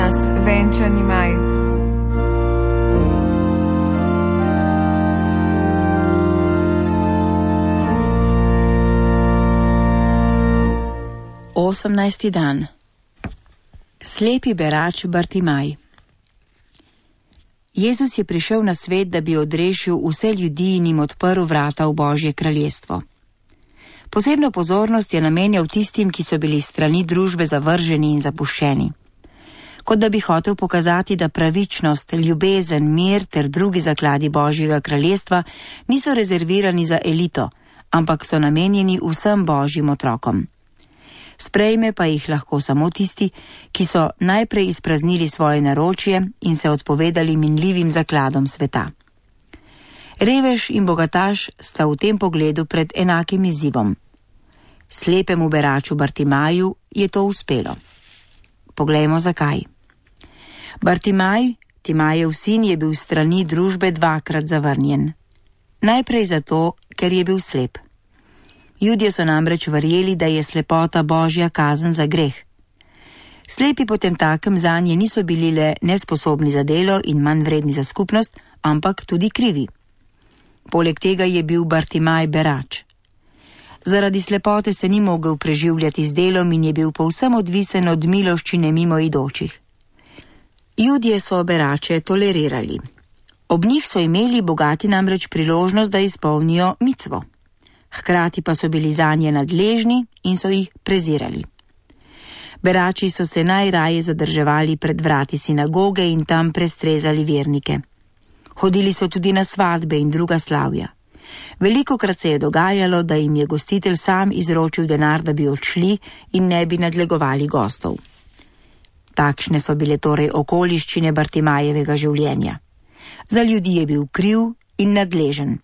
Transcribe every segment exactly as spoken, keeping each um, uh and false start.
nas venčani maj. Osemnajsti dan. Slepi berač Bartimaj. Jezus je prišel na svet, da bi odrešil vse ljudi in jim odprl vrata v Božje kraljestvo. Posebno pozornost je namenjal tistim, ki so bili strani družbe zavrženi in zapuščeni. Kot da bi hotel pokazati, da pravičnost, ljubezen, mir ter drugi zakladi Božjega kraljestva niso rezervirani za elito, ampak so namenjeni vsem Božjim otrokom. Sprejme pa jih lahko samo tisti, ki so najprej izpraznili svoje naročje in se odpovedali minljivim zakladom sveta. Revež in bogataš sta v tem pogledu pred enakim izzivom. Slepemu beraču Bartimaju je to uspelo. Poglejmo zakaj. Bartimaj, Timajev sin, je bil strani družbe dvakrat zavrnjen. Najprej zato, ker je bil slep. Judje so namreč verjeli, da je slepota Božja kazen za greh. Slepi potemtakem zanje niso bili le nesposobni za delo in manj vredni za skupnost, ampak tudi krivi. Poleg tega je bil Bartimaj berač. Zaradi slepote se ni mogel preživljati z delom in je bil povsem odvisen od miloščine mimoidočih. Judje so berače tolerirali. Ob njih so imeli bogati namreč priložnost, da izpolnijo micvo. Hkrati pa so bili zanje nadležni in so jih prezirali. Berači so se najraje zadrževali pred vrati sinagoge in tam prestrezali vernike. Hodili so tudi na svadbe in druga slavja. Velikokrat se je dogajalo, da jim je gostitelj sam izročil denar, da bi odšli in ne bi nadlegovali gostov. Takšne so bile torej okoliščine Bartimajevega življenja. Za ljudi je bil kriv in nadležen.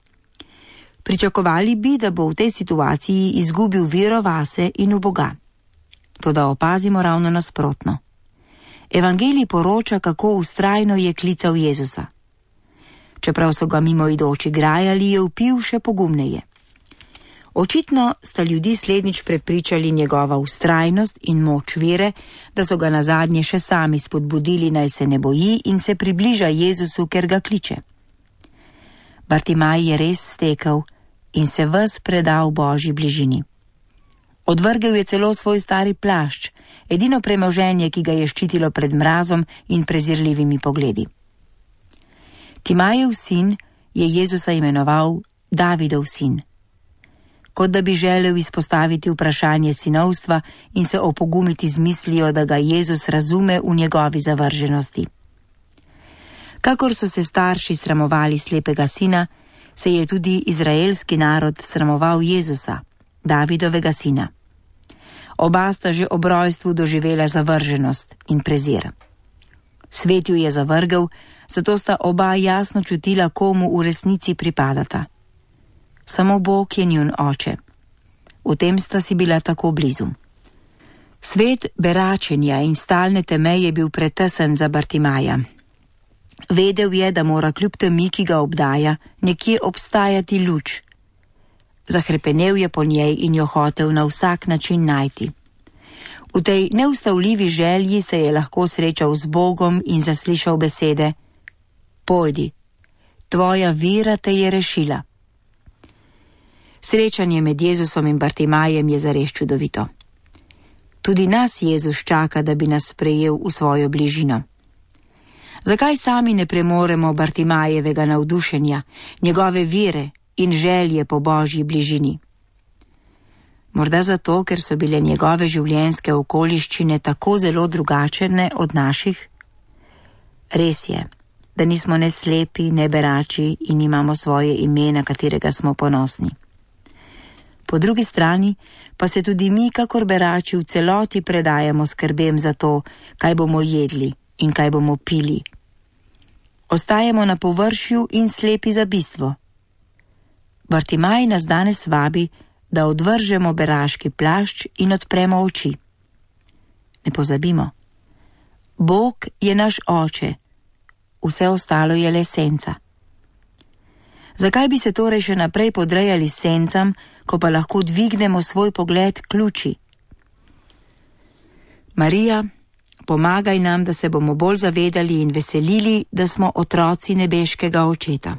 Pričakovali bi, da bo v tej situaciji izgubil vero vase in v Boga. Toda opazimo ravno nasprotno. Evangelij poroča, kako vztrajno je klical Jezusa. Čeprav so ga mimoidoči grajali, je vpil še pogumneje. Očitno sta ljudi slednjič prepričali njegova vztrajnost in moč vere, da so ga nazadnje še sami spodbudili, naj se ne boji in se približa Jezusu, ker ga kliče. Bartimaj je res stekel in se ves predal Božji bližini. Odvrgel je celo svoj stari plašč, edino premoženje, ki ga je ščitilo pred mrazom in prezirljivimi pogledi. Timajev sin je Jezusa imenoval Davidov sin. Kot da bi želel izpostaviti vprašanje sinovstva in se opogumiti z mislijo, da ga Jezus razume v njegovi zavrženosti. Kakor so se starši sramovali slepega sina, se je tudi izraelski narod sramoval Jezusa, Davidovega sina. Oba sta že ob rojstvu doživela zavrženost in prezir. Svet ju je zavrgel, zato sta oba jasno čutila, komu v resnici pripadata. Samo Bog je njun oče. V tem sta si bila tako blizu. Svet beračenja in stalne teme je bil pretesen za Bartimaja. Vedel je, da mora kljub temi, ki ga obdaja, nekje obstajati luč. Zahrepenel je po njej in jo hotel na vsak način najti. V tej neustavljivi želji se je lahko srečal z Bogom in zaslišal besede: Pojdi, tvoja vera te je rešila. Srečanje med Jezusom in Bartimajem je zares čudovito. Tudi nas Jezus čaka, da bi nas sprejel v svojo bližino. Zakaj sami ne premoremo Bartimajevega navdušenja, njegove vere in želje po Božji bližini? Morda zato, ker so bile njegove življenjske okoliščine tako zelo drugačne od naših? Res je, da nismo ne slepi, ne berači in imamo svoje ime, na katerega smo ponosni. Po drugi strani pa se tudi mi, kakor berači, v celoti predajamo skrbem za to, kaj bomo jedli in kaj bomo pili. Ostajamo na površju in slepi za bistvo. Bartimaj nas danes vabi, da odvržemo beraški plašč in odpremo oči. Ne pozabimo, Bog je naš oče, vse ostalo je le senca. Zakaj bi se torej še naprej podrejali sencam, ko pa lahko dvignemo svoj pogled k luči? Marija, pomagaj nam, da se bomo bolj zavedali in veselili, da smo otroci nebeškega Očeta.